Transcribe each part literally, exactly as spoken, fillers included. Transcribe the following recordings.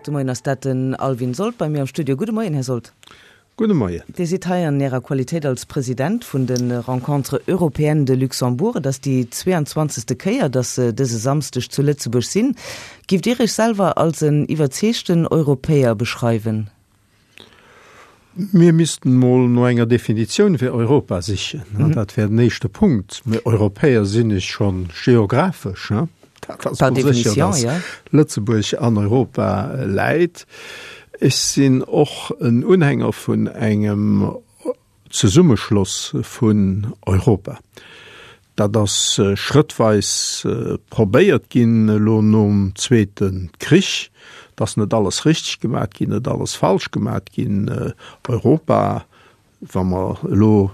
Haut de Moien ass dat den Alvin Sold bei mir am Studio. Gudde Moien, Här Sold. Gudde Moien. Dir sidd hei an Ärer Qualitéit als President vun de Rencontres européennes de Luxembourg. Et ass déi zweeanzwanzegste Kéier, datt se dëse Samsdeg zu Lëtzebuerg sinn. Giff Dir Iech selwer als en iwwerzeegten Europäer beschreiwen? Mir missten mol no enger Definitioun fir Europa sichen. Dat wär den éischte Punkt. Mee Europäer sinn ech schonn geographesch. Dat ass mol sécher, datt Lëtzebuerg an Europa läit. Ech sinn och en Unhänger vun engem Zesummeschloss vun Europa. Dat ass schrëttweis probéiert ginn elo nom Zweete Krich. Et ass net alles richteg gemat ginn, net alles falsch gemat ginn. Europa, wa mer elo,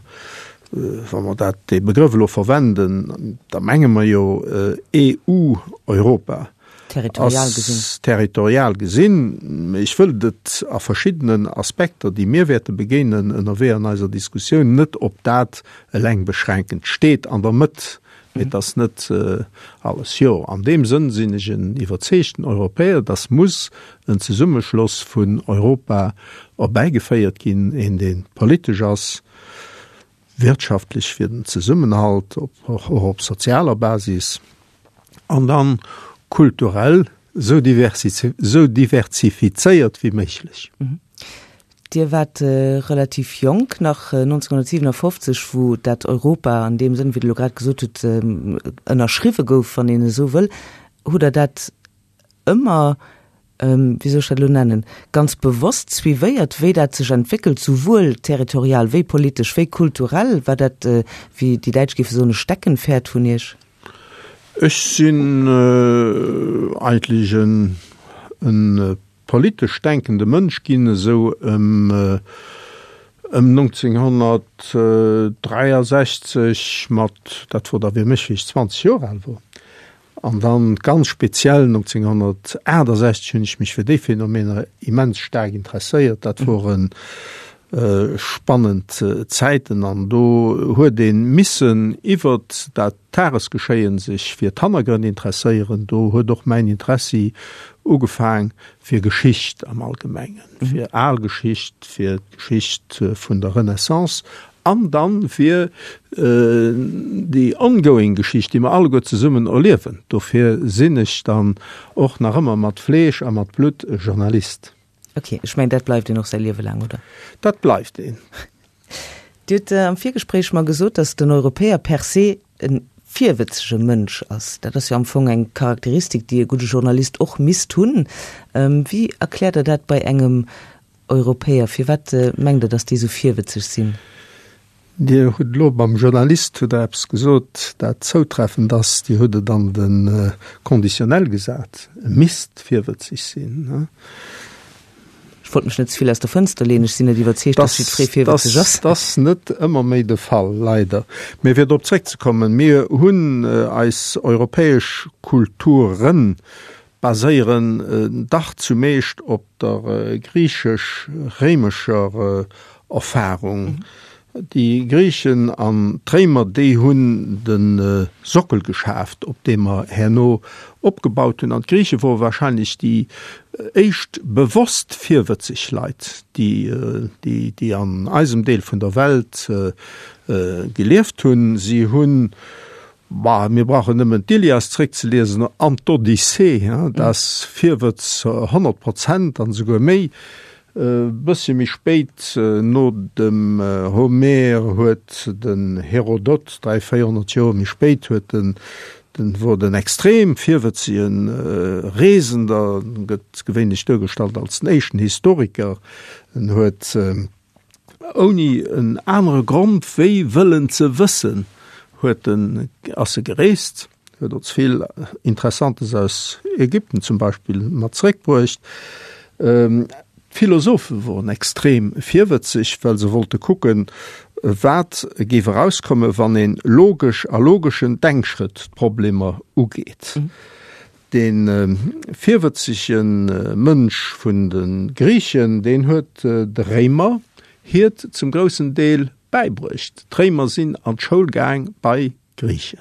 wa mer dat, dee Begrëff elo verwenden, da menge mer jo E U, Europa. Territorial gesinn. Territorial gesinn. Mee ech wëllt et a verschiddenen Aspekter, déi mir wäerte begéinen ënnerwee an eiser Diskussioun, net op dat eleng beschränken. Et steet an der Mëtt, mee et ass net alles. Jo, an deem Sënn sinn ech en iwwerzeegten Europäer, dass muss en Zesummeschloss vun Europa erbäigeféiert ginn, een dee politesch ass, wirtschaftlech fir den Zesummenhalt, och op sozialer Basis, an dann kulturell sou diversifizéiert wéi méiglech. Dir waart relativ jonk nach nonzénghonnertsiwenafoffzeg, wou dat Europa an deem Sënn, wéi Der elo grad gesot hutt, ënnerschriwwe gouf, wann een esou wëll. Hutt Der dat ëmmer, wéi soll ech dat elo nennen, ganz bewosst suivéiert, wéi dat sech entwéckelt, souwuel territorial wéi politesch wéi kulturell? War dat, wéi déi Däitsch géife soen, e Steckenpferd vun Iech? Ech sinn eigentlech en politesch denkende Mënsch ginn esou ëm ëm nonzénghonnertdräiasechzeg mat, dat wor da fir mech wéi ech zwanzeg Joer al wor. An dann ganz speziell nonzénghonnertaachtasechzeg hunn ech mech fir déi Phänomener immens staark interesséiert. Dat woren spannend Zäiten an do huet ee missen iwwert dat Tagesgeschéien sech fir d'Hannergrënn interesséieren. Do huet och mäin Interessi ugefaang fir Geschicht am Allgemengen, fir al Geschicht, fir d'Geschicht vun der Renaissance an dann fir déi ongoing Geschicht, déi mer alleguer zesummen erliewen. Dofir sinn ech dann och nach ëmmer mat Fleesch a mat Blutt e Journalist. Ok, ech mengen dat bleift een och säi Liewe laang, oder? Dat bleift een. Dir hutt am Virgespréich mer gesot, datt den Europäer per se e virwëtzege Mënsch ass. Dat ass jo am Fong eng Charakteristik, déi e gudde Journalist och misst hunn. Wéi erkläert Der dat bei engem Europäer? Firwat mengt Der, datt déi esou virwëtzeg sinn? Dir hutt elo beim Journalist hutt Der eppes gesot, dat zoutreffend ass. Dir hutt et an de Conditionnel gesat, e misst virwëtzeg sinn. Ech wollt mech net ze vill aus der Fënster leeën. Ech sinn net iwwerzeegt, datt jiddweree virwëtzeg ass. Dat ass net ëmmer méi de Fall, leider. Mee fir drop zréckzekommen, Mir hunn eis europäesch Kulturen baséieren dach zumeescht op der griichesch-réimescher Erfahrung. Déi Griichen an d'Réimer, déi hunn de Sockel geschaaft, op deem mer herno opgebaut hunn. An d'Griiche wore wahrscheinlech déi éischt bewosst virwëtzeg Leit, déi, déi an eisem Deel vun der Welt gelieft hunn. Si hunn, bah, mir brauchen nëmmen d'Ilias zréckzeliesen an d'Odyssee, dat ass Virwëtz honnert Prozent an esouguer méi. E bëssche méi spéit, no dem Homer, huet den Herodot, dräi, véierhonnert Joer méi spéit, huet den, den wor den extrem virwëtzege Reesender, gëtt gewéinlech duergestallt als den éischten Historiker, en huet ouni en anere Grond wéi wëllen ze wëssen, huet en, ass e gereest, huet ons vill Interessantes aus Ägypten zum Beispill mat zréckbruecht. D'Philosophe woren extrem virwëtzeg, well se wollte kucken, wat géif erauskommen, wann een logesch a logeschen Denkschrëtt d'Problemer ugeet. Dee virwëtzege Mënsch vun de Griichen, deen huet de Réimer hiert zum groussen Deel bäibruecht. D'Réimer sinn an d'Schoul gaang bei Griichen.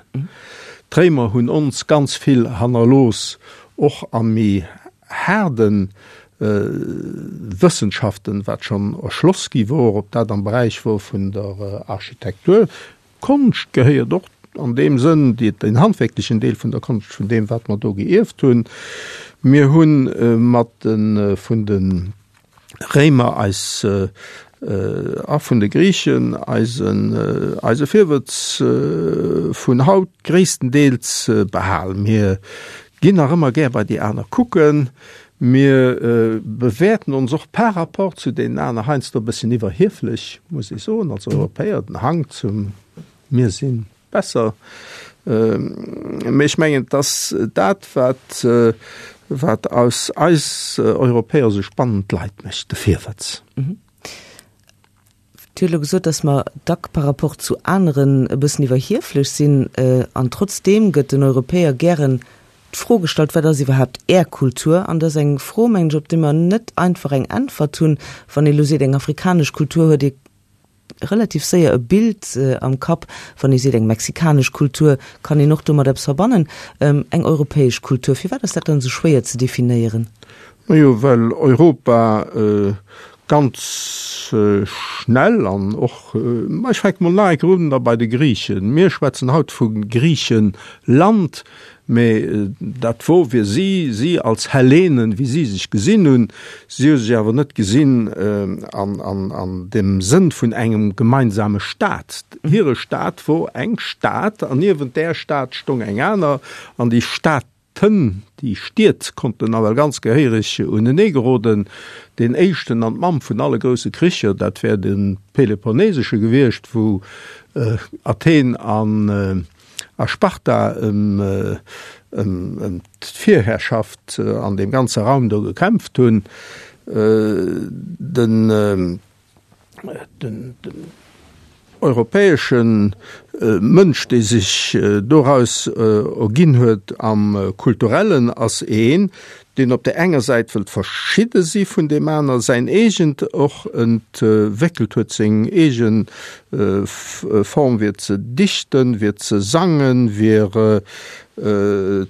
D'Réimer hunn ons ganz vill hannerlooss, och a méi haarde Wëssenschaften, wat schonn erschloss gi wor, ob dat am Beräich wor vun der Architektur. Konscht gehéiert och an deem Sënn, déi, den handwerklechen Deel vun der Konscht, vun deem, wat mer do geierft hunn. Mir hu mat de vun de Réimer eis a vun de Griichen eisen, eise Virwëtz vun haut gréisstendeels behal. Mir ginn nach ëmmer gär bei déi aner kucken. Mir bewäerten ons och par rapport zu deenen aner heiansdo e bësschen iwwerhieflech, muss ech soen, als Europäer, den Hang zum Mir si besser. Mee ech mengen, et ass dat, wat, wat aus eis Europäer esou spannend Leit mécht, de Virwëtz. Dir hutt elo gesot, dass mer dack par rapport zu aneren e bëssen iwwerhieflech sinn. An trotzdeem gëtt den Europäer gären d'Fro gestallt, Wat ass iwwerhaapt Är Kultur? An dat ass eng Fro, mengen ech, op déi mer net einfach eng Äntwert hunn. Wann ee elo seet, eng afrikanesch Kultur, huet ee relativ séier e Bild am Kapp. Wann ee seet, eng mexikanesch Kultur, kann een och domat eppes verbannen. Eng europäesch Kultur, firwat ass dat dann esou schwéier ze definéieren? Majo, well Europa ganz schnell an och, ma ech fänke mol nach eng Kéier un da bei de Griichen. Mir schwätzen haut vu Griichenland, mä dat wor fir si, si als Hellenen, wéi si sech gesinn hunn, si hu sech awer net gesinn an, an, an dem Sënn vun engem gemeinsame Staat. Hire Staat wor eng Stad an niewent där Stad stong eng aner an déi Stad, D'Hënn, déi Stied konnten nawell ganz gehéiereg unenee geroden. Deen éischten an d'Mamm vun alle grousse Kricher, dat wär de Peloponnesesche gewiescht, wou Athen a Sparta ëm d'Virherrschaft an deem ganze Raum do gekämpft hunn. Den. Den europäesche Mënsch, dee sech doraus erginn huet am Kulturellen, ass een, deen op där enger Säit wëllt verschidde si vun deem aner, säin eegent och entwéckelt huet, seng eege Form wier ze dichten, wier ze sangen, wier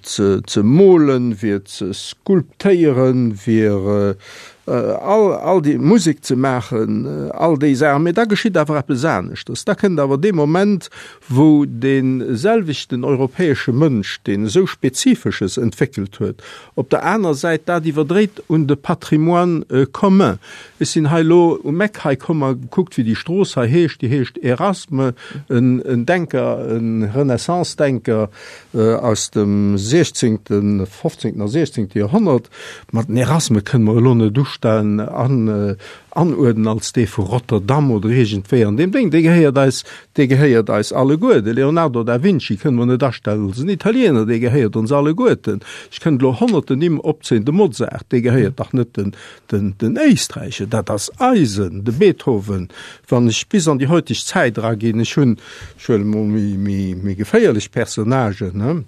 ze molen, wier ze sculptéieren, wier all, all déi Musek ze maachen, all déi Saachen. Mee da geschitt awer eppes aneschters. Da kënnt awer dee Moment, wou dee selwechten europäesche Mënsch, deen esou Spezifesches entwéckelt huet, op der aner Säit dat iwwerdréit un de Patrimoine commun. Ech sinn hei elo um Eck hei komm a gekuckt, wéi déi Strooss hei heescht. Déi heescht Erasme, en Denker, e Renaissance-Denker aus dem siechzéngten, fofzéngten a siechzéngte Joerhonnert. Ma den Erasme kënne mer elo net ustellen, an, anuerdnen als dee vu Rotterdam oder iergendwéi an deem Déng. Dee gehéiert eis, dee gehéiert eis alleguer. De Leonardo da Vinci kënne mer net astellen als en Italiener, dee gehéiert ons alleguerten. Ech kënnt elo honnerten Nimm opzéien, de Mozart, dee gehéiert dach net den, den, den Éisträicher, dat ass eisen, de Beethoven. Wann ech bis an déi heutig Zäit eraginn, ech hunn, ech huele mol méi, méi, méi geféierlech Personnagen, ne?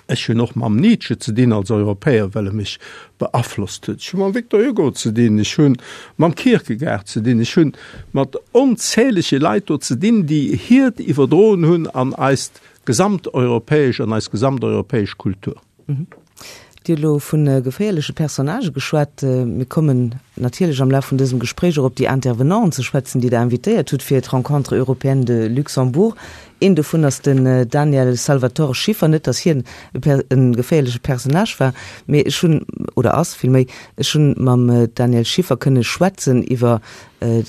Ech hunn och mam Nietzsche ze dinn als Europäer, well e mech beaflosst huet. Ech hu mam Victor Hugo ze dinn, ech hu mam Kierkegaard ze dinn, ech hu mat onzählege Leit do ze dinn, déi hiert iwwerdroen hunn an eist gesamteuropäesch, an eis gesamteuropäesch Kultur. Dir hutt elo vu geféierleche Personnagë geschwat. Mir kommen natierlech am Laf vun dësem Gespréich och op déi Intervenanten ze schwätzen, déi Der invitéiert hutt fir d'Rencontres européennes de Luxembourg. Een dovun ass den Daniel Salvatore Schiffer. Net, datt hien e geféierleche Personnage war, mee ech hunn, oder ass villméi, ech hunn mam Daniel Schiffer kënne schwätzen iwwer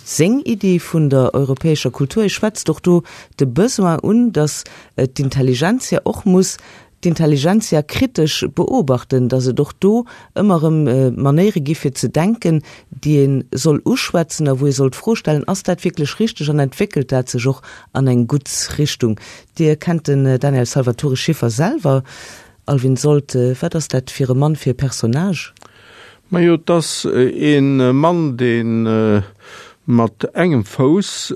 seng Iddi vun der europäescher Kultur. E schwätzt och do de Besoin un, datt d'Intelligentsia och muss d'Intelligentsia kritesch beobachten, datt et och do ëmmer erëm Manéiere gi fir ze denken, déi ee soll uschwätzen a wou ee soll d'Fro stellen, Ass dat wierklech richteg an entwéckelt dat sech och an eng gutt Richtung? Dir kennt den Daniel Salvatore Schiffer selwer. Alvin Sold, wat ass dat fir e Mann, fir e Personnage? Majo, et ass e Mann, dee mat engem Fouss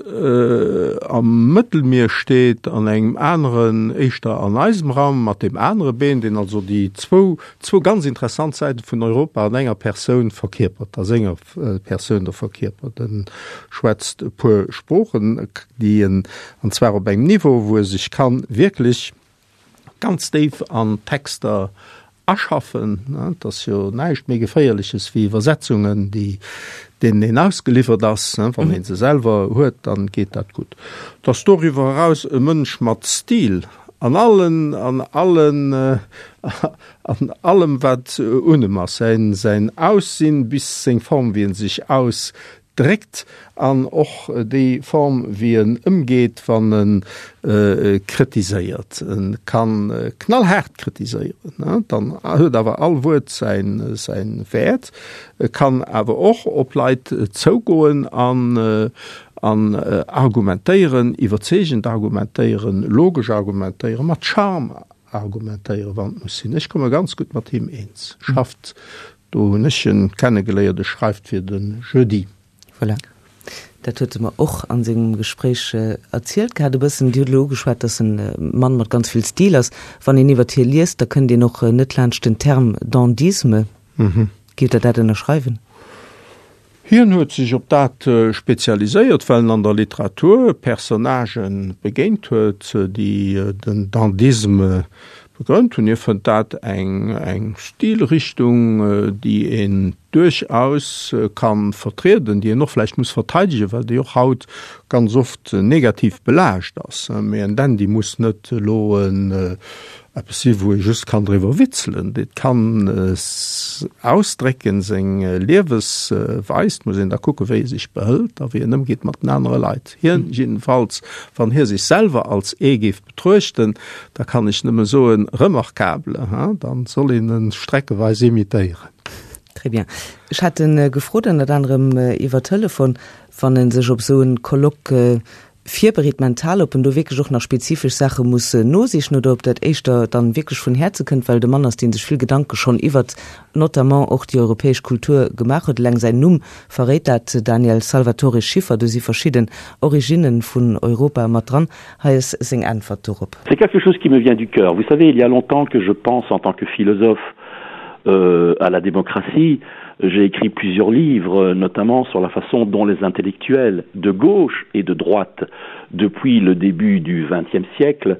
am Mëttelmier steet an engem aneren éischter an eisem Raum, mat deem anere Been, deen also déi zwou, zwou ganz interessant Säite vun Europa an enger Persoun verkierpert, a senger Persoun do verkierpert. En schwätzt e puer Sproochen, déi en, an zwar op engem Niveau, wou e sech ka wierklech ganz déif an Texter aschaffen. Et ass jo näischt méi Geféierleches wéi Iwwersetzungen, déi deenen een ausgeliwwert ass. Wann ee se selwer huet, dann geet dat gutt. Et ass doriwwer eraus e Mënsch mat Stil an allen, an allen, an allem wat un em ass, säin, säin Aussinn bis seng Form wéi en sech aus dréckt an och déi Form wéi en ëmgeet wann en kritiséiert. En kann knallhaart kritiséieren, dann huet awer all Wuert säin säin Wäert. E kann awer och op Leit zougoen an an argumentéieren, iwwerzeegend argumentéieren, logesch argumentéieren, mat Charme argumentéieren, wann et muss sinn. Ech komme ganz gutt mat him eens. Schafft, do hunn ech en kennegeléiert, e schreift fir de Jeudi. Voilà. Dat huet e mer och an sengem Gespréich erzielt gehat e bëssen. Dir hutt elo ugeschwat, dass en Mann mat ganz vill Stil ass. Wann een iwwert hie liest, da kënnt een och net laanscht den Term Dandysme. Gitt Der dat ënnerschreiwen? Hien huet sech op dat spezialiséiert, well en an der Literatur Personnagë begéint huet, déi den Dandysme begrënnt hunn. Hie fënnt dat eng eng Stilrichtung, déi een duerchaus ka vertrieden, déi een och vläicht muss verteidegen, well déi och haut ganz oft negativ belaascht ass. Mee en Dandy muss net elo en eppes si wou ee just kann driwwer witzelen. Et kann ausdrécken seng Liewesweis, et muss een da kucke wéi e sech behëlt a wéi en ëmgeet mat den anere Leit. Hien jiddefalls, wann hie sech selwer als ee géif betruechten, da kann ech nëmme soen, remarquable, hein, dann soll een en streckeweis imitéieren. Très bien. Ech hat en gefrot ënnert anerem iwwer Telefon, wann en sech op esou en Colloque virbereet mental, ob en do wierklech och nach spezifesch Saache muss nosichen oder ob dat éischter dann wierklech vun Häerze kënnt, well et e Mann ass, dee sech vill Gedanke schonn iwwert notamment och déi europäesch Kultur gemaach huet. Eleng säin Numm verréit dat, Daniel Salvatore Schiffer. Do si verschidden Originne vun Europa mat dran. Hei ass seng Äntwert dorop. C'est quelque chose qui me vient du cœur. Vous savez, il y a longtemps que je pense en tant que philosophe euh, à la démocratie. J'ai écrit plusieurs livres, notamment sur la façon dont les intellectuels de gauche et de droite, depuis le début du XXe siècle,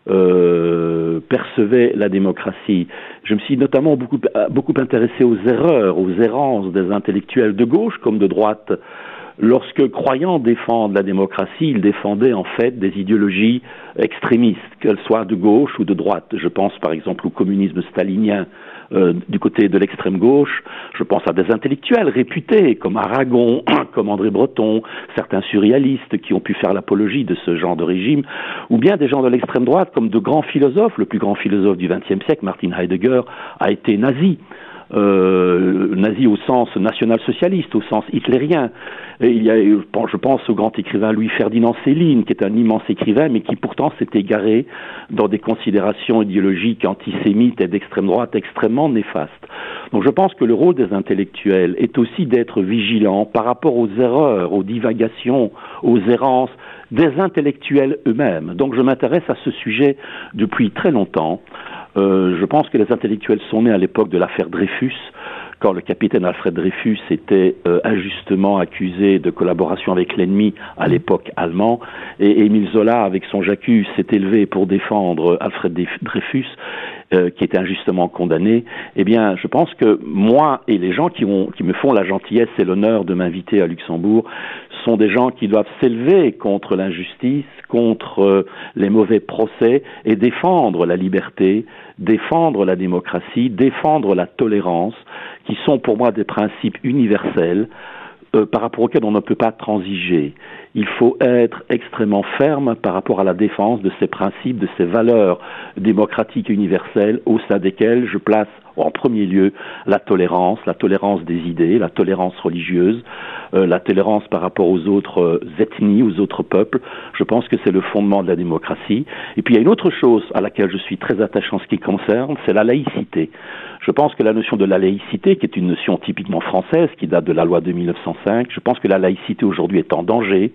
euh, percevaient la démocratie. Je me suis notamment beaucoup, beaucoup intéressé aux erreurs, aux errances des intellectuels de gauche comme de droite, lorsque, croyant défendre la démocratie, ils défendaient en fait des idéologies extrémistes, qu'elles soient de gauche ou de droite. Je pense par exemple au communisme stalinien euh, du côté de l'extrême gauche, je pense à des intellectuels réputés comme Aragon, comme André Breton, certains surréalistes qui ont pu faire l'apologie de ce genre de régime, ou bien des gens de l'extrême droite comme de grands philosophes, le plus grand philosophe du XXe siècle, Martin Heidegger, a été nazi euh, nazi au sens national-socialiste, au sens hitlérien. Et il y a, je pense au grand écrivain Louis-Ferdinand Céline, qui est un immense écrivain, mais qui pourtant s'est égaré dans des considérations idéologiques antisémites et d'extrême droite extrêmement néfastes. Donc je pense que le rôle des intellectuels est aussi d'être vigilant par rapport aux erreurs, aux divagations, aux errances des intellectuels eux-mêmes. Donc je m'intéresse à ce sujet depuis très longtemps. Euh, je pense que les intellectuels sont nés à l'époque de l'affaire Dreyfus, quand le capitaine Alfred Dreyfus était euh, injustement accusé de collaboration avec l'ennemi à l'époque allemand et Émile Zola avec son J'accuse s'est élevé pour défendre Alfred Dreyfus euh, qui était injustement condamné eh bien je pense que moi et les gens qui ont qui me font la gentillesse et l'honneur de m'inviter à Luxembourg sont des gens qui doivent s'élever contre l'injustice contre euh, les mauvais procès et défendre la liberté défendre la démocratie défendre la tolérance qui sont pour moi des principes universels euh, par rapport auxquels on ne peut pas transiger. Il faut être extrêmement ferme par rapport à la défense de ces principes, de ces valeurs démocratiques universelles au sein desquelles je place en premier lieu la tolérance, la tolérance des idées, la tolérance religieuse, euh, la tolérance par rapport aux autres euh, ethnies, aux autres peuples. Je pense que c'est le fondement de la démocratie. Et puis il y a une autre chose à laquelle je suis très attaché en ce qui concerne, c'est la laïcité. Je pense que la notion de la laïcité, qui est une notion typiquement française, qui date de la loi de mille neuf cent cinq, je pense que la laïcité aujourd'hui est en danger,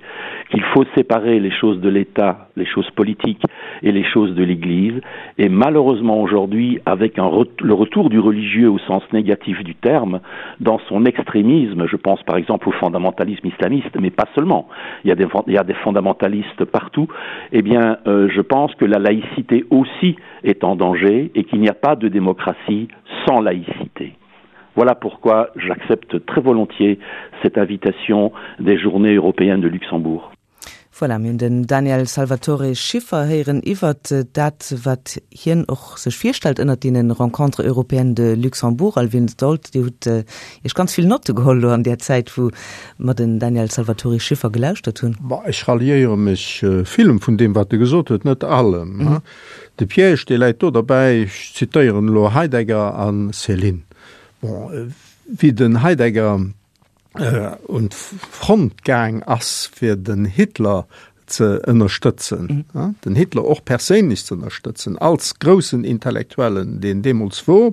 qu'il faut séparer les choses de l'État, les choses politiques et les choses de l'Église. Et malheureusement aujourd'hui, avec un re le retour du religieux au sens négatif du terme, dans son extrémisme, je pense par exemple au fondamentalisme islamiste, mais pas seulement, il y a des, il y a des fondamentalistes partout, eh bien euh, je pense que la laïcité aussi est en danger et qu'il n'y a pas de démocratie sans laïcité. Voilà pourquoi j'accepte très volontiers cette invitation des Journées européennes de Luxembourg. Voilà, mir hunn den Daniel Salvatore Schiffer héieren iwwert dat, wat hien och sech virstellt ënnert deenen Rencontres européennes de Luxembourg. Alwin Stolt, Dir hutt Iech ganz vill Notte geholl elo an där Zäit, wou mer den Daniel Salvatore Schiffer gelauschtert hunn. Bah, ech ralliéiere mech villem vun deem, wat e gesot huet, net allem. De Piège, dee läit do derbäi, ech zitéieren elo Heidegger a Céline. Bon, wéi den Heidegger un d'Front gaang ass, fir den Hitler ze ënnerstëtzen, den Hitler och perséinlech ze ënnerstëtzen, als groussen Intellektuellen, deen deemools wor,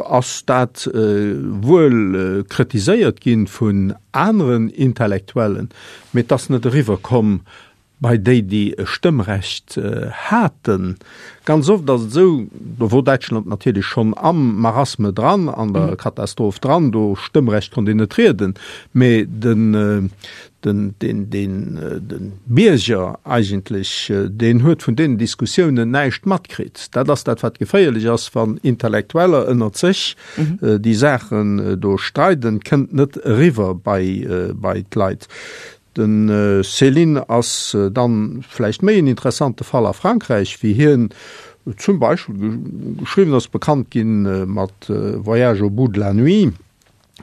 ass dat wuel kritiséiert ginn vun aneren Intellektuellen, mee et ass net eriwwer komm bei déi, déi e Stëmmrecht haten. Ganz oft ass et esou, do wor Däitschland natierlech schonn am Marasme dran, an der Katastroph dran, do Stëmmrecht konnt een net rieden, mee den, den, den, den, den Bierger eigentlech, deen huet vun deenen Diskussiounen näischt matkritt. Dat ass dat, wat geféierlech ass, wann Intellektueller ënnert sech déi Saachen do streiden, kënnt net eriwwer bei, bei d'Leit. De Céline ass dann vläicht méi en interessante Fall a Frankräich, wéi hien zum Beispill geschriwwen ass, bekannt ginn mat Voyage au bout de la nuit.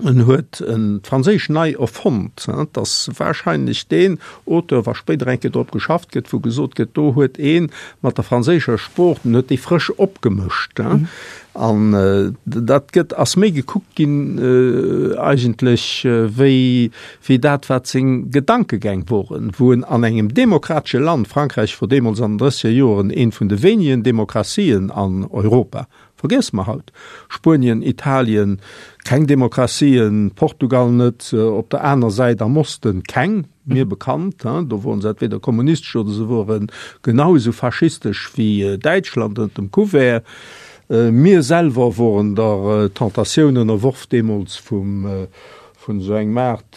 En huet d'Franséisch nei erfonnt. Et ass wahrscheinlech deen Auteur, wa spéider eng Kéier drop geschafft gëtt, wou gesot gëtt, do huet ee mat der franséischer Sprooch, den huet déi frësch opgemëscht. An dat gëtt, ass méi gekuckt ginn eigentlech wéi, wéi dat, wat seng Gedankegäng woren, wou en an engem demokratesche Land, Frankräich wor deemools an den drësseger Joren eent vun de wéinegen Demokratien an Europa, vergiesse mer haut, Spuenien, Italien, keng Demokratien, Portugal net, op der aner Säit am Osten keng, mir bekannt, do woren se entweder kommunistesch oder se woren genau esou faschistesch wéi Däitschland ënnert dem Couvert. Mir selwer woren der Tentatioun ënnerworf deemools vum, vun esou engem Aart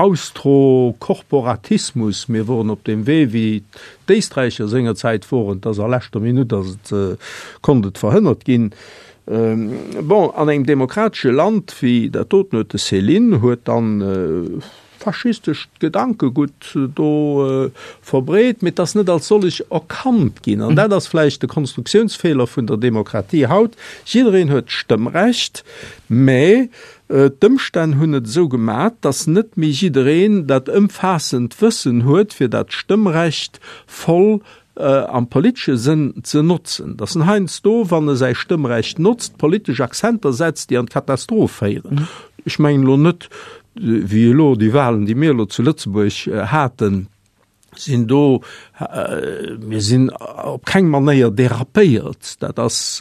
Austrokorporatismus. Mir woren op deem Wee, wéi d'Éisträicher sengerzäit woren, et ass a leschter Minutt ass et, konnt et verhënnert ginn. Bon, an engem demokratesche Land wéi dat doten huet de Céline huet dann faschistescht Gedankegutt do verbreet, mee et ass net als sollech erkannt ginn. An dat ass vläicht de Konstruktiounsfeeler vun der Demokratie haut. Jiddereen huet d'Stëmmrecht, mä d'Ëmstänn hunn et esou gemat, datt net méi jiddereen dat ëmfaassend Wëssen huet, fir dat Stëmmrecht voll am politesche Sënn ze notzen. Datt en heiansdo, wann e säi Stëmmrecht notzt, politesch Accenter setzt, déi an d'Katastroph féieren. Ech mengen elo net, wéi elo déi Wahlen, déi mir elo zu Lëtzebuerg haten, sinn do, mir sinn op keng Manéier dérapéiert. Dat ass,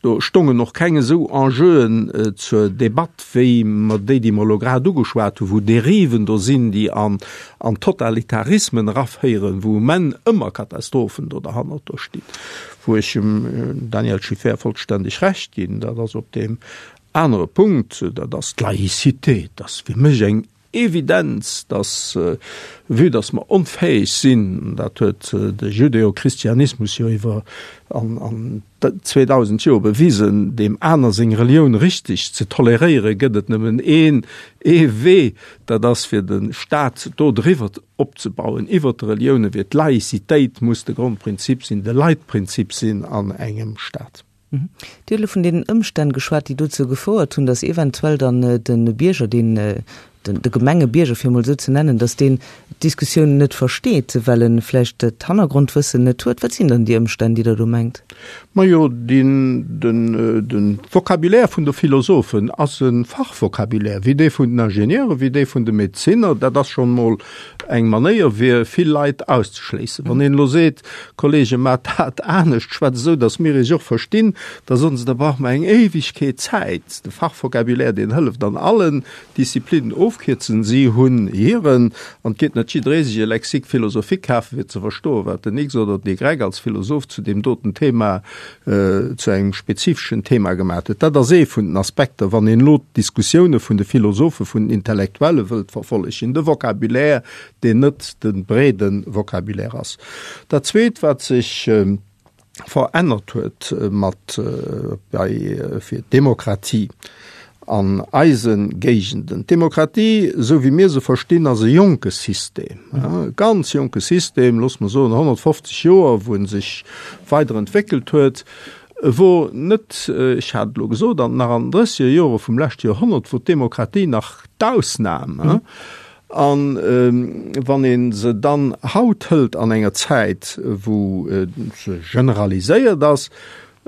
do stongen och keng esou Enjeuen zur Debatt wéi mer déi, déi mer elo grad ugeschwat hunn, wou Dériven do sinn, déi an, an Totalitarismen eraféieren, wou um Enn ëmmer Katastrophen do derhannert do stinn. Wou ech dem Daniel Schiffer vollständeg Recht ginn, dat ass op deem anere Punkt, dat ass d'Laïcité. Dat ass fir mech eng Evidenz, dass, vue dass mer onfäeg sinn, dat huet de Judäo-Christianismus jo iwwer an, an zweedausend Joer bewisen, deem aner seng Relioun richteg ze toleréieren, gëtt et nëmmen een, ee Wee, dat ass fir de Staat do driwwer opzebauen, iwwert de Reliounen, wier d'Laïcitéit muss de Grondprinzip sinn, de Leitprinzip sinn an engem Staat. Dir hutt elo vun deenen Ëmstänn geschwat, déi dozou gefouert hunn, dass eventuell dann de Bierger, deen de gemenge Bierger, fir emol esou ze nennen, datt deen d'Diskussioun net versteet, well en vläicht d'Hannergrondwëssen net huet? Wat sinn dann déi Ëmstänn, déi Der do mengt? Majo, den, den, de Vocabulaire vun de Philosophen ass e Fachvocabulaire, wéi dee vun den Ingenieuren, wéi dee vun de Medezinner. Dat ass schonn emol eng Manéier, fir vill Leit auszeschléissen. Wann een elo seet, Kollegen, maacht dat anescht, schwätzt esou, datt mir iech och verstinn, da soen se, da brauche mer eng Éiwegkeet Zäit. De Fachvocabulaire, deen hëlleft an allen Disziplinnen. Ofkierzen, si hunn hiren, an et geet net jidderee sech e Lexique philosophique kafen, fir ze verstoen, wat den X oder den Y als Philosoph zu deem doten Thema, zu engem spezifeschen Thema gemaat huet. Dat ass ee vun den Aspekter, wann een elo d'Diskussioune vun de Philosophen, vun den Intellektuelle wëllt verfollegen, de Vocabulaire, deen net de breede Vocabulaire ass. Dat Zweet, wat sech verännert huet mat bei fir d'Demokratie an eise Géigenden. D'Demokratie, esou wéi mir se verstinn, ass e jonke System, e ganz jonke System, loosse mer soen honnertfofzeg Joer, wou en sech weiderentwéckelt huet, wor net, ech hat et elo gesot, an nach an den drësseger Jore vum leschte Joerhonnert wor d'Demokratie nach d'Ausnam. An wann ee se dann haut hëlt an enger Zäit, wou se generaliséiert ass,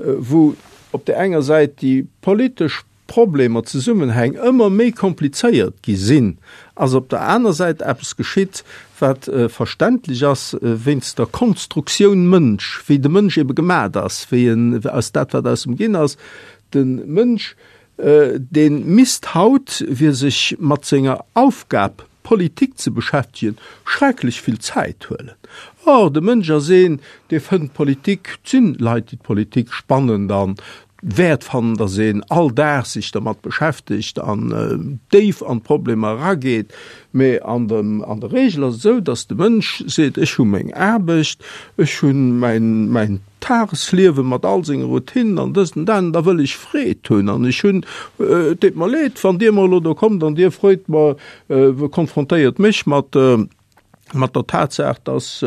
wou op där enger Säit déi politesch Problemer, Zesummenhäng ëmmer méi komplizéiert gi sinn, ass op der aner Säit eppes geschitt, wat verständlech ass wéinst der Konstruktioun Mënsch, wéi de Mënsch ebe gemat ass, wéi en aus dat, wat aus em ginn ass. De Mënsch, dee misst haut, fir sech mat senger Aufgab Politik ze beschäftegen, schrecklech vill Zäit huelen. Or, de Mënsch ass een, dee fënnt Politik, et sinn Leit, déi d'Politik spannend an wäert fannen, datt een all Dag sech dermat beschäftegt an déif an d'Problemer erageet. Mee an dem, an der Regel ass et esou, datt de Mënsch seet, ech hu meng Aarbecht, ech hu mäin, mäin Tagesliewe mat all senge Routinen an dëst an dat, an da wëll ech Freed hunn. An ech hunn, et deet mer leed, wann Dir mer elo do kommt an Dir freet mer, konfrontéiert mech mat, mat der Tatsaach, dass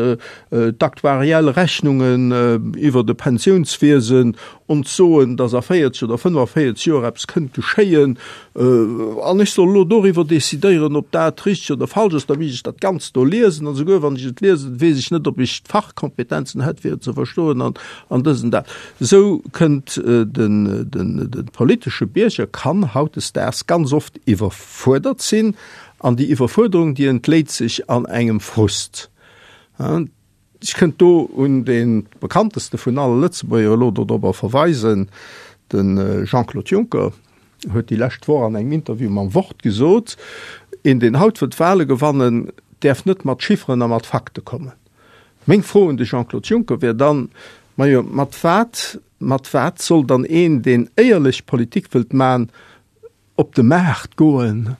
d'aktuariell Rechnungen iwwer de Pensiounswiesen ons soen, dass a véierzeg oder fënnefaféierzeg Joer eppes kënnt geschéien, an ech soll elo doriwwer decidéieren, ob dat richteg oder falsch ass, da misst ech dat Ganzt do liesen, an esouguer wann ech et liesen, weess ech net, ob ech d'Fachkompetenzen hätt, fir et ze verstoen, an, an dës an dat. Esou kënnt den, den, de politesche Bierger kann hautdesdaags ganz oft iwwerfuerdert sinn, An déi Iwwerfuerderung, déi entléit sech an engem Frust. Ech kënnt do un dee bekannteste vun alle Lëtzebuerger elo dodrobber verweisen, de Jean-Claude Juncker huet déi lescht Woch an engem Interview mam Wort gesot, Een, deen haut wëllt Wahle gewannen, däerf net mat Chifferen a mat Fakte kommen. Meng Fro un de Jean-Claude Juncker wär dann, Majo, mat wat, mat wat soll dann een, deen éierlech Politik wëllt man, op de Maart goen,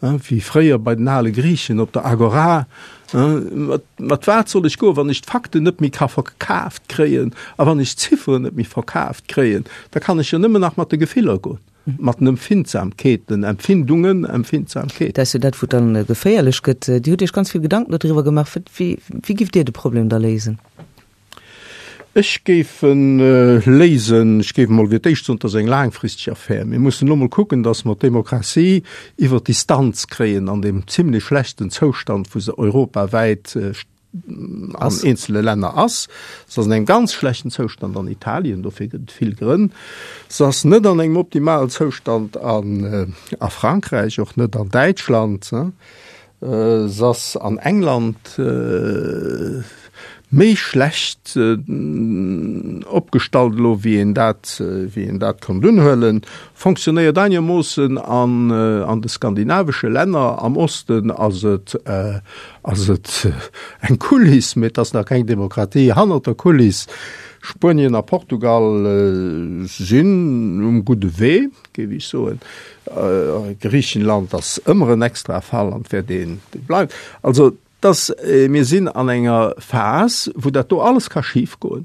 wéi fréier bei den ale Griichen op der Agora, mat wat soll ech goen, wann ech d'Fakten net méi ka verkaaft kréien a wann ech d'Zifferen net méi verkaaft kréien, da kann ech jo nëmmen nach mat de Gefiller goen, mat den Empfindsamkeeten, Empfindungen, Empfindsamkeeten. Dat ass jo dat, wou et dann geféierlech gëtt. Dir hutt Iech ganz vill Gedanken dodriwwer gemaach. Wéi, wéi giff Dir de Problem da léisen? Ech géif e léisen, ech géif emol fir d'éischt soen, et ass eng laangfristeg Affär. Mir mussen elo emol kucken, datt mer d'Demokratie iwwer d'Distanz kréien an deem zimlech schlechten Zoustand, wou se europawäit an eenzele Länner ass. Se ass an engem ganz schlechten Zoustand an Italien, dofir gëtt et vill Grënn. Se ass net an engem optimalen Zoustand a Frankräich, och net an Däitschland. Se ass an England méi schlecht opgestallt elo, wéi een dat, wéi een dat konnt unhuelen. Fonctionnéiert einermoossen an, an de skandinavesche Länner. Am Osten ass et, ass et eng Kuliss, mee et ass nach keng Demokratie hannert der Kuliss. Spuenien a Portugal sinn um gudde Wee, géif ech soen. Griichenland ass ëmmer en extrae Fall an wäert een bleiwen. Also, dass mir sinn an enger Phas, wou dat do alles ka schifgoen,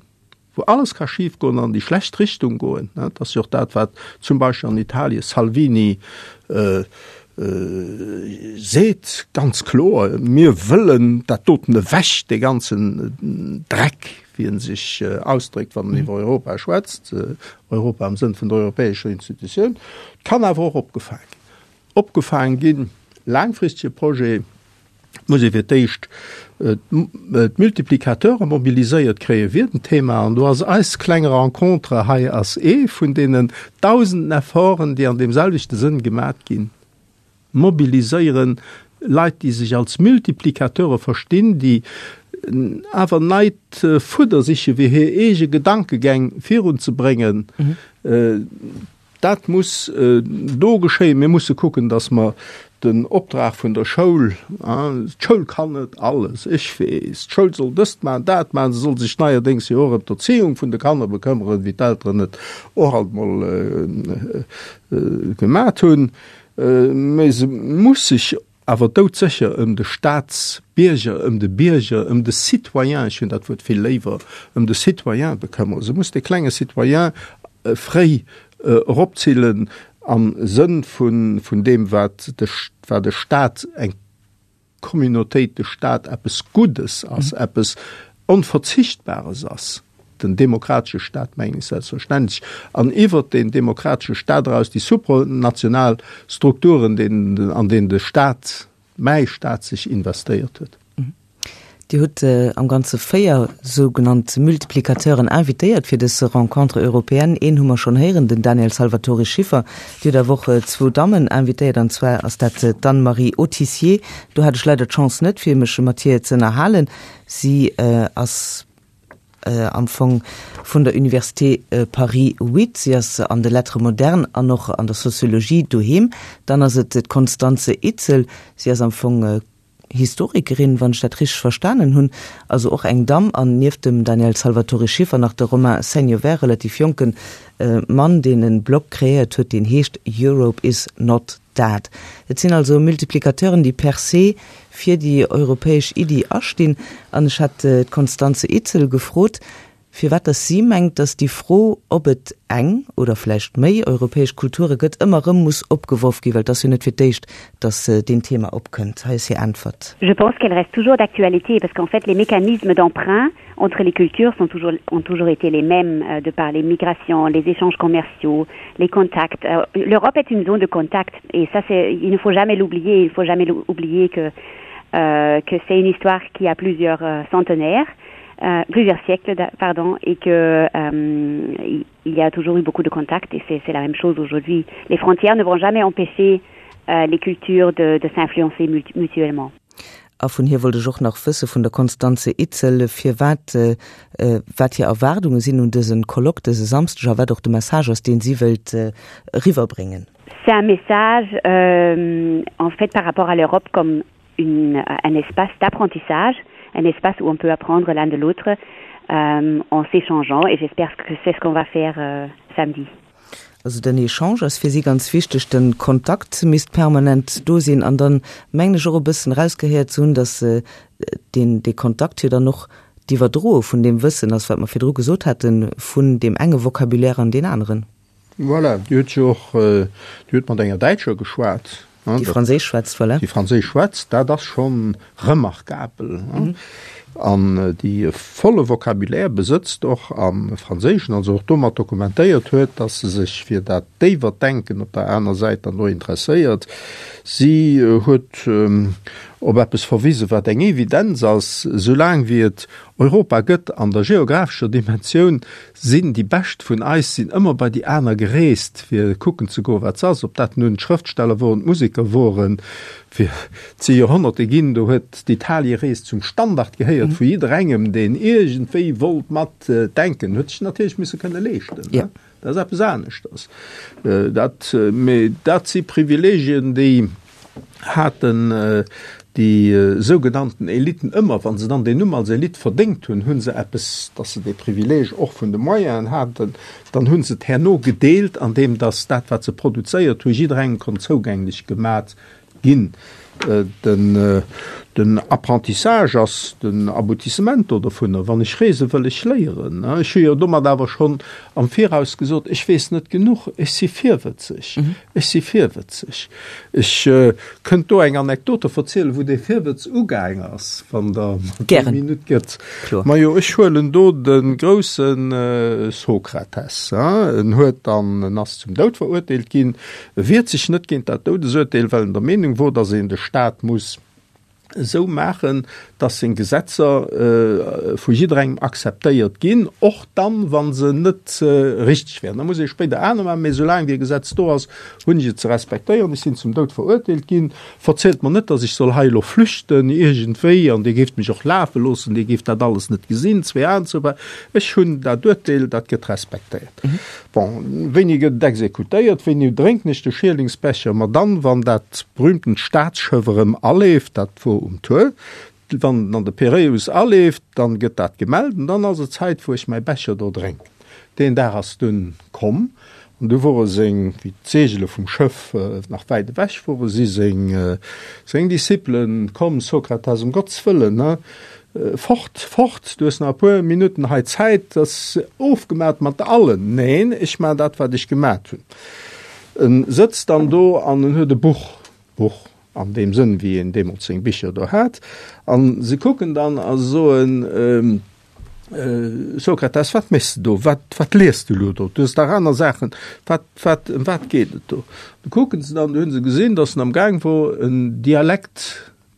wou alles ka schifgoen an déi schlecht Richtung goen. Dat ass jo och dat, wat zum Beispill an Italien Salvini seet ganz kloer, Mir wëllen dat doten ewech, dee ganzen Dreck, wéi en sech ausdréckt, wann en iwwer Europa schwätzt, Europa am Sënn vun der europäescher Institutioun. Kann awer och opgefaang ginn. Opgefaang ginn laangfristege Projet muss ee fir d'éischt d'Multiplicateure mobiliséiert kréie fir den Thema. An do ass eis kleng Rencontre hei ass ee vun deenen dausenden Efforten, déi an deem selwechte Sënn gemat ginn. Mobiliséieren Leit, déi sech als Multiplicateure verstinn, déi awer neit Fudder siche fir hir eege Gedankegäng virunzebréngen. Dat muss do geschéien. Mir musse kucken, datt mer den Optrag vun der Schoul, d'Schoul kann net alles, ech weess, d'Schoul soll dëst maachen, dat maachen, se soll sech neierdéngs jo och ëm d'Erzieung vun de Kanner bekëmmeren, wéi d'Elteren et och alt mol gemat hunn, mä se muss sech awer doudsécher ëm de Staatsbierger, ëm de Bierger, ëm de Citoyen, ech hunn dat Wuert vill léiwer, ëm de Citoyen bekëmmeren. Se muss de klenge Citoyen fréi eropzillen am Sënn vun deem, wat de wat de Staat, eng Communautéit, de Staat eppes Guddes ass, eppes Onverzichtbares ass. Den demokratesche Staat mengen ech selbstverständlech, an iwwert deen demokratesche Staat eraus déi supranational Strukturen, deenen, an deenen de Staat, mäi Staat sech investéiert huet. Dir hutt am Ganze véier sougenannt Multiplicateuren invitéiert fir dës Rencontre européenne. Een hu mer schonn héieren, den Daniel Salvatori-Schiffer. Dir hutt awer och zwou Dammen invitéiert, an zwar ass dat d'Anne-Marie Autissier. Do hat ech leider d'Chance net, fir mech mat hir ze ënnerhalen. Si ass am Fong vun der Université Paris huit. Si ass an de Lettres modernes an och an der Soziologie doheem. Dann ass et d'Constanze Itzel. Si ass am Fong Historikerin, wann ech dat richteg verstanen hunn, also och eng Damm, an nieft dem Daniel Salvatori-Schiffer nach de Romain Seignevert, relativ jonke Mann, deen e Blog kreéiert huet, deen heescht Europe is not dead. Et sinn also Multiplicateuren, déi per se fir déi europäesch Iddi astinn. An ech hat d'Constanze Itzel gefrot, firwat dass si mengt, dass déi Fro, ob et eng oder vläicht méi europäesch Kulture gëtt, ëmmer erëm muss opgeworf ginn, well et ass jo net fir d'éischt, dass deen Thema opkënnt. Hei ass hir Äntwert. Je pense qu'elle reste toujours d'actualité parce qu'en fait les mécanismes d'emprunt entre les cultures sont toujours, ont toujours été les mêmes euh, de par les migrations, les échanges commerciaux, les contacts. Euh, L'Europe est une zone de contact et ça c'est il ne faut jamais l'oublier, il ne faut jamais oublier que euh, que c'est une histoire qui a plusieurs euh, centenaires euh, plusieurs siècles pardon et que euh, il y a toujours eu beaucoup de contacts et c'est la même chose aujourd'hui. Les frontières ne vont jamais empêcher euh, les cultures de, de s'influencer mutuellement. A vun hir wollt ech och nach wësse vun der Constanze Itzel, firwat wat hir Erwaardunge sinn un dëse Colloque dëse Samsdeg a wat och de Message ass, deen si wëllt eriwwerbréngen. C'est un message euh, en fait par rapport à l'Europe comme une, un espace d'apprentissage, un espace où on peut apprendre l'un de l'autre euh, en s'échangeant et j'espère que c'est ce qu'on va faire euh, samedi. Also den Echange ass fir si ganz wichteg, den Kontakt misst permanent do sinn an dann mengen ech och e bëssen rausgehéiert ze hunn, dass deen dee Kontakt jo dann och d'Iwwerdroe vun deem Wëssen ass, wat mer virdru gesot haten, vun deem enge Vocabulaire an deen aneren. Voilà, Dir hutt jo och, Dir hutt mat enger Däitscher geschwat. Déi Franséisch schwätzt, voilà. Déi Franséisch schwätzt, dat ass scho remarkabel. An déi e volle Vocabulaire besëtzt, och am Franséischen, also och domat dokumentéiert huet, datt se sech fir dat déiwert Denken op der aner Säit dann och interesséiert. Si huet op eppes verwisen, wat eng Evidenz ass, Soulaang wéi et Europa gëtt an der geographescher Dimensioun, sinn déi Bescht vun eis sinn ëmmer bei déi aner gereest, fir kucken ze goen, wat s'ass, ob dat nun d'Schrëftsteller woren, d'Museker woren. Fir et si Joerhonnerte ginn, do huet d'Italierees zum Standard gehéiert vu jidderengem, deen iergendwéi wollt mat denken, huet sech natierlech misse kënne leeschten. Dat ass eppes aneschters. Dat, mee dat si Privilegien, déi haten déi sougenannten Eliten ëmmer, wa se dann deen Numm als Elite verdéngt hunn, hu se eppes, datt se dee Privileeg och vun de Moyenen haten, dann hu se et herno gedeelt, andeem datt dat, wat se produzéiert hunn, jidderengem konnt zougänglech gemat ginn. Den, den Apprentissage ass den Aboutissement do dovunner. Wann ech reese wëll ech léieren. Ech hu jo domat awer schonn am Viraus gesot, ech weess net genuch, ech si virwëtzeg. Ech si virwëtzeg. Ech kënnt do eng Anekdote verzielen, wou dee Virwëtz ugaang ass, wann Der mer déi Minutt gëtt. Majo, ech huelen do de grousse Sokrates. En huet dann, en ass zum Doud verurteelt ginn, e wiert sech net géint dat Doudesurteel, well en der Meenung wor, datt een de Staat muss esou maachen, dass seng Gesetzer vu jidderengem akzeptéiert ginn, och dann, wa se net richteg wären. Da muss ee spéider aner maachen, mee soulaang wéi e Gesetz do ass, hunn ech et ze respektéieren. Ech sinn zum Doud verurteelt ginn. Verzielt mer net, dass ech soll hei elo flüchten iergendwéi an Dir géift mech och lafe loossen, Dir géift dat alles net gesinn, zwee Aen zou. Ech hunn dat Urteel, dat gëtt respektéiert. Bon, wéini gëtt et exekutéiert? Wéini drénken ech de Schierlingsbecher? Ma dann, wann dat berühmtent Staatsschëff erëm aleeft, dat wor um Tour, wann en an de Piräus aleeft, dann gëtt dat gemellt an dann ass et Zäit, wou ech mäi Becher do drénken. Deen Dag ass dunn komm an du wore seng, wéi d'Seegele vum Schëff nach wäit ewech wore, si seng, seng Discipelen komm, Sokrates, ëm Gottes Wëllen, ne, Fort, fort, du hues nach e puer Minutten hei Zäit, dat ass ofgemat mat allen. Neen, ech maachen dat, wat ech gemat hunn. En sëtzt dann do an en huet e Buch, Buch an deem Sënn, wéi een deemools seng Bicher do hat, a se kucken dann a soen, Sokrates, wat méchs de do? Wat, wat liest du elo do? Du hues dach aner Saachen. Wat, wat, ëm wat geet et do? Du kucken se dann, du hunn se gesinn, datt en am Gaang wor, en Dialekt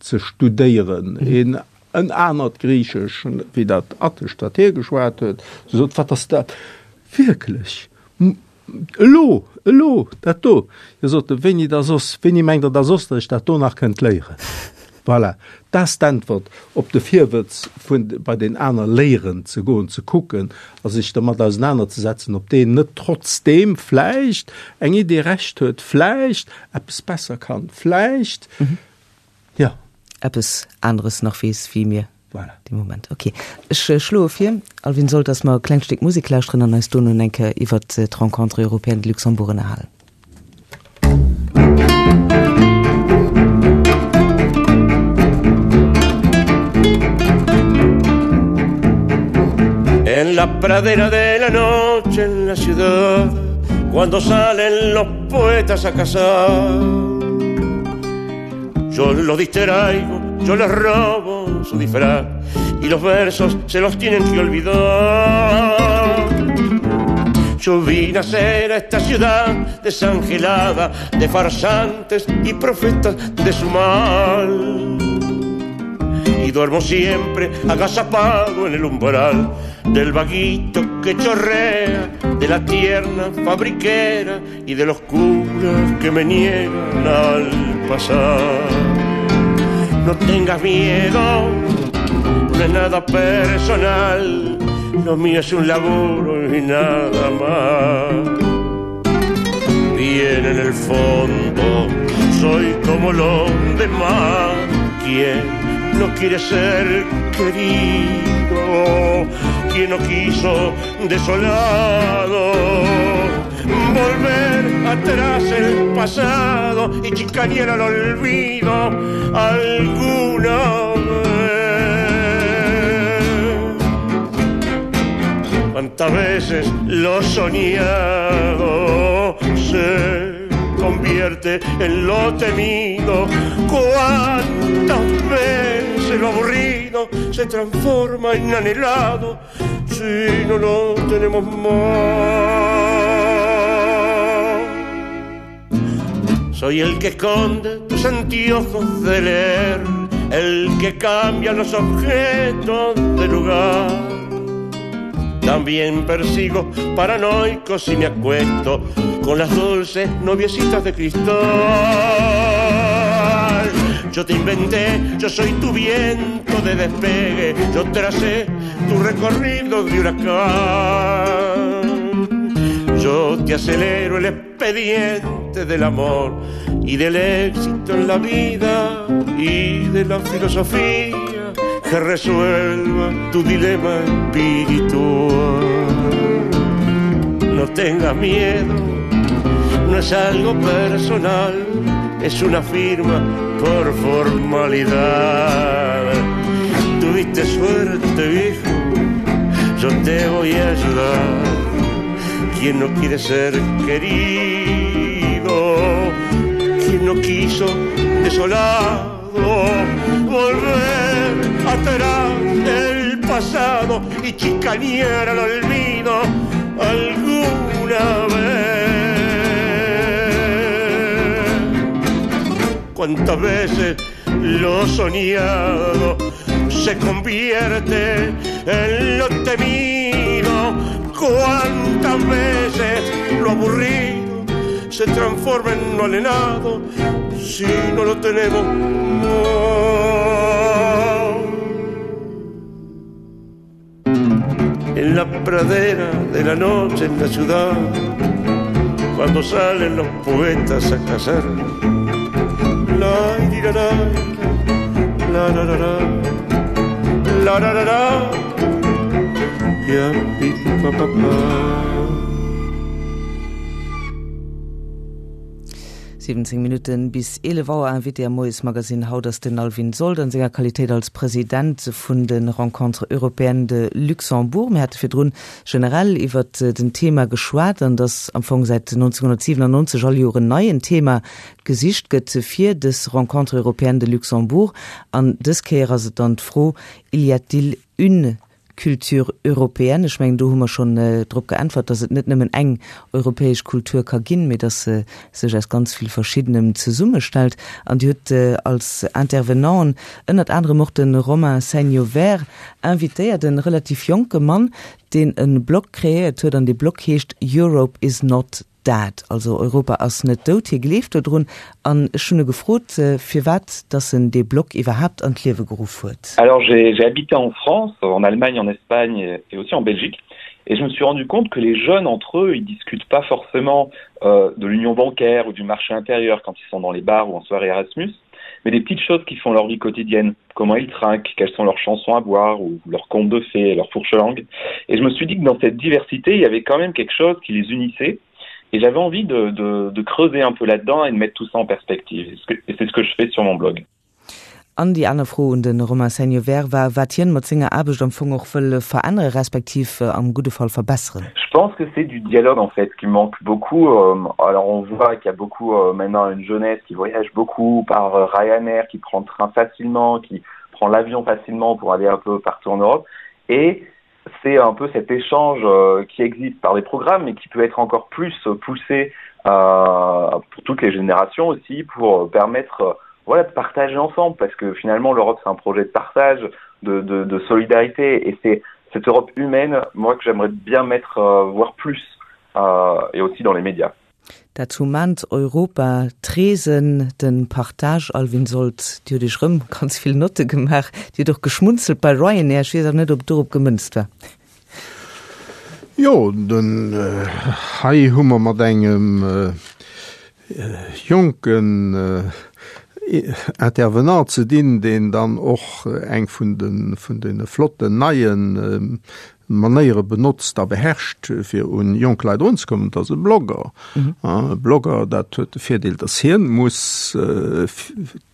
ze studéieren, een en anert Griichesch, wéi dat Attescht, dat hie geschwat huet. Se sot, Wat ass dat? Wierklech? Elo, elo, dat do? Hie sot, Wéini da soss? Wéini mengt Der da soss, datt ech dat do nach kënnt léieren? Voilà, dat ass d'Äntwert op de Virwëtz vun bei deen aner léieren ze goen, ze kucken a sech dermat ausenanerzesetzen, ob deen net trotzdeem vläicht eng Idee Recht huet, vläicht eppes besser kann, vläicht, jo. Eppes aneres nach weess wéi mir Voilà. dee Moment. Ok, ech schloe vir, Alvin Sold, dass mer e klengt Stéck Musek lauschteren an eis dono eng Kéier iwwert d'Rencontres européennes de Luxembourg ënnerhalen. En la pradera de la noche en la ciudad Cuando salen los poetas a cazar Yo los distraigo, yo les robo su disfraz Y los versos se los tienen que olvidar Yo vi nacer a esta ciudad desangelada De farsantes y profetas de su mal Y duermo siempre agazapado en el umbral Del vaguito que chorrea, de la tierna fabriquera Y de los curas que me niegan al pasar No tengas miedo, no es nada personal Lo mío es un laburo y nada más Bien en el fondo soy como los demás Quien no quiere ser querido Quien no quiso desolado Volver atrás el pasado y chicanear al olvido alguna vez Cuántas veces lo soñado se convierte en lo temido Cuántas veces lo aburrido se transforma en anhelado si no lo tenemos más Soy el que esconde tus anteojos de leer, el que cambia los objetos de lugar. También persigo paranoicos y me acuesto con las dulces noviecitas de cristal. Yo te inventé, yo soy tu viento de despegue, yo tracé tu recorrido de huracán. Yo te acelero el expediente del amor y del éxito en la vida y de la filosofía que resuelva tu dilema espiritual. No tengas miedo, no es algo personal, es una firma por formalidad. Tuviste suerte, viejo, yo te voy a ayudar. Quien no quiere ser querido, quien no quiso desolado volver atrás el pasado y chicanear al olvido alguna vez. Cuántas veces lo soñado se convierte en lo temido, cuántas veces lo aburrido se transforma en lo alenado si no lo tenemos más. En la pradera de la noche en la ciudad, cuando salen los poetas a cazar, la la la la la la la la la la la ya pi pa pa pa. siwwenzéng Minutten bis eelef Auer, Invité am Moiesmagazin haut ass den Alvin Sold an senger Qualitéit als President vun de Rencontres européennes de Luxembourg. Mir hate virdrun generell iwwert den Thema geschwat an dass am Fong säit neunzehnhundertsiewenundneunzeg all Joer en neien Thema gesicht gëtt fir dës Rencontres européennes de Luxembourg. An dës Kéier ass et dann d'Fro, Il y a-t-il une culture européenne? Ech mengen, do hu mer schonn drop geäntwert, dass et net nëmmen eng europäesch Kultur ka ginn, mee dass se sech aus ganz vill Verschiddenem zesummestellt. An Dir hutt als Intervenanten ënnert anerem och de Romain Seignevert invitéiert, e relativ jonke Mann, deen e Blog kreéiert huet, an dee Blog heescht Europe is not dead, also Europa ass net dout. Hie gleeft dodrun. An ech hunn e gefrot, firwat dass en dee Blog iwwerhaapt an d'Liewe geruff huet. Alors j'ai, j'ai habité en France, en Allemagne, en Espagne et aussi en Belgique et je me suis rendu compte que les jeunes entre eux, ils discutent pas forcément euh, de l'union bancaire ou du marché intérieur quand ils sont dans les bars ou en soirée Erasmus, mais des petites choses qui font leur vie quotidienne, comment ils trinquent, quelles sont leurs chansons à boire ou leurs contes de fées, leurs fourches-langues. Et je me suis dit que dans cette diversité, il y avait quand même quelque chose qui les unissait et j'avais envie de, de, de creuser un peu là-dedans et de mettre tout ça en perspective. Et c'est ce que je fais sur mon blog. An déi aner Fro un de Romain Seignevert war, wat hien mat senger Aarbecht am Fong och wëll verännere respektiv am gudde Fall verbesseren. Je pense que c'est du dialogue en fait qui manque beaucoup. Alors on voit qu'il y a beaucoup maintenant une jeunesse qui voyage beaucoup par Ryanair, qui prend le train facilement, qui prend l'avion facilement pour aller un peu partout en Europe. Et c'est un peu cet échange qui existe par des programmes mais qui peut être encore plus poussé euh, pour toutes les générations aussi pour permettre voilà, de partager ensemble parce que finalement l'Europe c'est un projet de partage, de, de, de solidarité et c'est cette Europe humaine moi que j'aimerais bien mettre euh, voir plus euh, et aussi dans les médias. Dat humant Europa, d'Reesen, den Partage, Alvin Sold, Dir hutt Iech rëm ganz vill Notte gemaach, Dir hutt och geschmunzelt bei Ryanair, ech weess awer net, ob dorop gemënzt war. Jo, den hei hu mer mat engem jonken Intervenant ze dinn, deen dann och eng vun de vun deene flotten neie Manéiere benotzt a beherrscht, fir un jonk Leit erunzekommen, dat ass e Blogger. E Blogger, dat huet de Virdeel, datt hien muss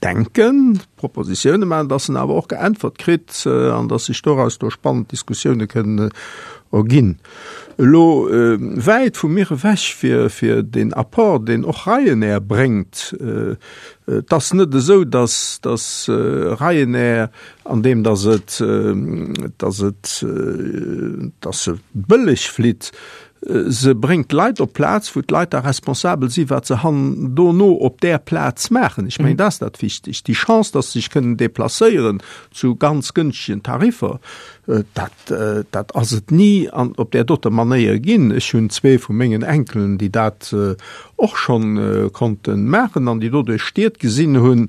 denken, Propositioune maachen, datt en awer och geäntwert kritt an datt sech doraus do spannend Diskussioune kënnen erginn. Elo wäit vu mir ewech fir fir deen Apport, deen och Ryanair bréngt. Et ass net esou, datt datt Ryanair, andeem datt et datt et datt se bëlleg flitt, se bréngt d'Leit op d'Plaz, wou d'Leit da responsabel si wat se han dono op där Plaz maachen. Ech mengen, dat ass dat Wichtegt. Déi Chance, datt se sech kënnen deplacéieren zu ganz gënschtegen Tariffer, dat dat ass et ni an op där doter Manéier ginn. Ech hunn zwee vu mengen Enkelen, déi dat och schonn konnte maachen an déi doduerch Stied gesinn hunn,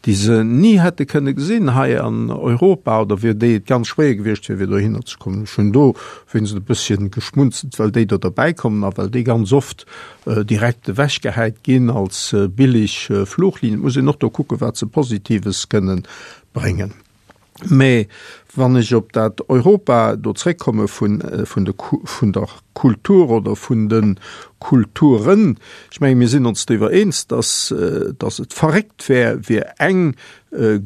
déi se ni hätte kënne gesinn hei an Europa oder fir déi et ganz schwéier gewiescht wier, fir dohinner ze kommen. Ech hunn do wéinst e bësschen geschmunzelt, well déi do derbäi kommen a well déi ganz oft direkt ewechgehäit ginn als billig Fluchlinien. Et muss een och do kucken, wat se Positives kënnen bréngen. Mä wann ech op dat Europa do zréckkomme vun, vun de, vun der Kultur oder vun de Kulturen. Ech menge mir sinn ons driwwer eens, dass, dass et verréckt wär, fir eng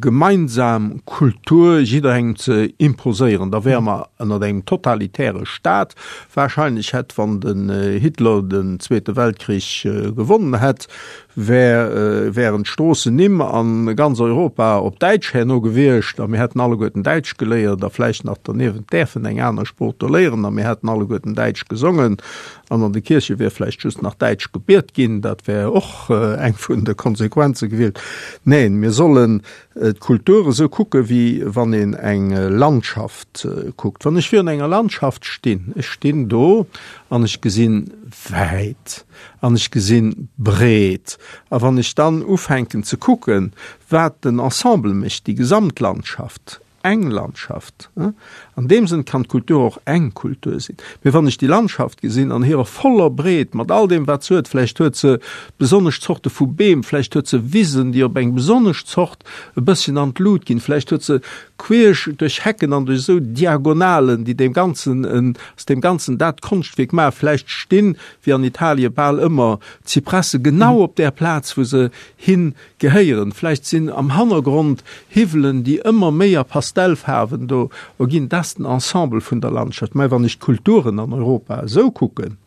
gemeinsam Kultur jidderengem ze imposéieren. Da wäre mer ënnert engem totalitäre Staat. Wahrscheinlech hätt, wann den Hitler den Zweete Weltkrich gewonnen hätt, wär, wären d'Stroossennimm a ganz Europa op Däitsch herno gewiescht a mir hätten alleguerten Däitsch geléiert a vläicht nach derniewent däerfen eng aner Sprooch do léieren a mir hätten alleguerten Däitsch gesongen an an de Kierche wier vläicht just nach Däitsch gebiet ginn. Dat wär och eng vun de Konsequenze gewiescht. Neen, mir sollen d'Kultur esou kucke wéi wann een eng Landschaft kuckt. Wann ech virun enger Landschaft stinn, ech stinn do an ech gesinn wäit an ech gesinn breet a wann ech dann ufänken ze kucken, wat den Ensemble mécht, déi Gesamtlandschaft, eng Landschaft. An deem Sënn kann d'Kultur och eng Kultur sinn. Mee wann ech déi Landschaft gesinn an hirer voller Breet, mat all deem, wat se huet, vläicht huet se besonnesch Zorte vu Beem, vläicht huet se Wisen, déi op eng besonnesch Zort e bësschen an d'Lut ginn, vläicht huet se queesch duerch Hecken an duerch esou Diagonalen, déi deem Ganzen en, aus deem Ganzen dat Konschtwierk maachen, vläicht stinn, wéi an Italie bal ëmmer, d'Zypresse genau op där Plaz, wou se hin gehéieren. Vläicht sinn am Hannergrond Hiwwelen, déi ëmmer méi a Pastellfaarwen do erginn. Dat ass den Ensemble vun der Landschaft. Mä wann ech d'Kulturen an Europa esou kucken,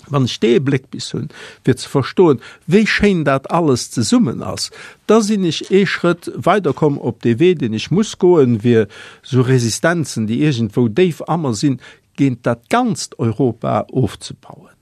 wann ech dee Bléck bis hunn, fir ze verstoen, wéi schéin dat alles zesummen ass, da sinn ech ee Schrëtt weiderkomm op dee Wee, deen ech muss goen, fir esou Resistenzen, déi iergendwou déif a mer sinn, géint dat ganzt Europa ofzebauen.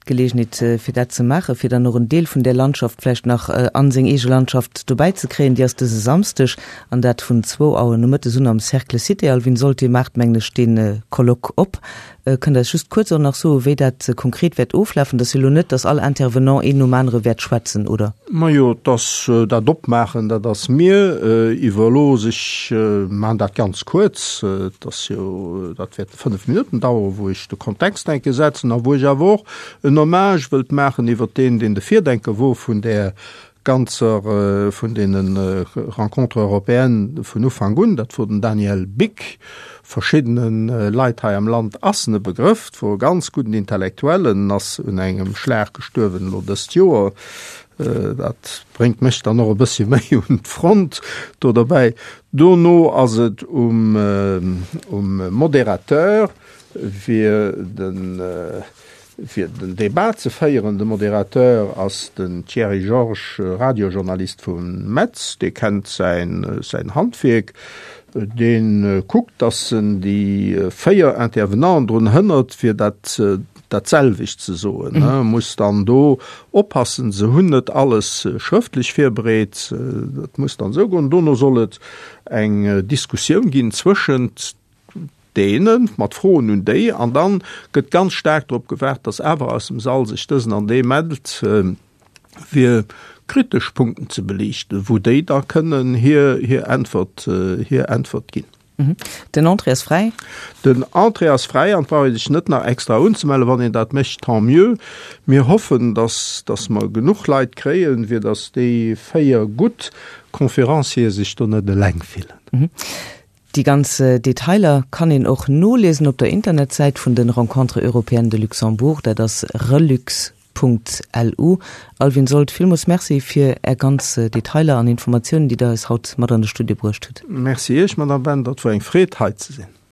D'Geleegenheet fir dat ze maachen, fir dann och en Deel vun där Landschaft vläicht nach a seng eege Landschaft dobäi ze kréien, déi ass dëse Samsdeg, an dat vun zwou Auer nomëttes un am Cercle Cité. Alvin Sold, Dir maacht, mengen ech, dee Colloque op. Kënnt Der eis just kuerz och nach soen, wéi dat konkret wäert oflafen? Dat ass jo elo net, datt all Intervenant een nom anere wäert schwätzen, oder? Majo, et ass dat Opmaachen, dat ass mir iwwerlooss. Ech maachen dat ganz kuerz. Et ass jo, dat wäerte fënnef Minutten daueren, wou ech de Kontext enke setzen a wou ech awer och en Hommage wëllt maachen iwwert deen, deen de Virdenker wor vun där ganzer, vun deene Rencontres européennes vun Ufank un, dat wor den Daniel Bick. Verschiddene Leit hei am Land ass en e Begrëff, et wor e ganz gudden Intellektuellen, ass un engem Schlag gestuerwen elo dëst Joer. Dat bréngt mech dann och e bëssche méi un d'Front do derbäi. Dono ass et um Modérateur, fir den fir den Debat ze féieren. De Modérateur ass den Thierry Georges, Radiojournalist vu Metz. Dee kennt säin säin Handwierk. Dee kuckt, datt en déi véier Intervenanten drun hënnert, fir dat dat selwecht ze soen. E muss dann do oppassen, se hunn net alles schrëftlech virbereet. Dat muss dann esou goen. Dono soll et eng Diskussioun ginn zwëschent deene mat Froen un déi, an dann gëtt ganz staark drop gewaart, datt awer aus dem Sall sech dësen an dee mellt, fir kritesch Punkten ze beliichten, wou déi da kënnen hir hir Äntwert hir Äntwert ginn. Den Entrée ass fräi? Den Entrée ass fräi an et brauch ee sech net nach extra unzemellen. Wann een dat mécht, tant mieux. Mir hoffen, datt datt mer genuch Leit kréien, fir datt déi véier gutt Conférenciere sech do net eleng fillen. Déi ganz Detailer kann een och noliesen op der Internetsäit vun den Rencontres européennes de Luxembourg, dat ass relux Punkt lu. Alvin Sold, villmools Merci fir Är ganz Detailer an Informatiounen, déi Der eis haut mat an de Studio bruecht hutt. Merci Iech, Madame Bender, et wor eng Freed hei ze sinn.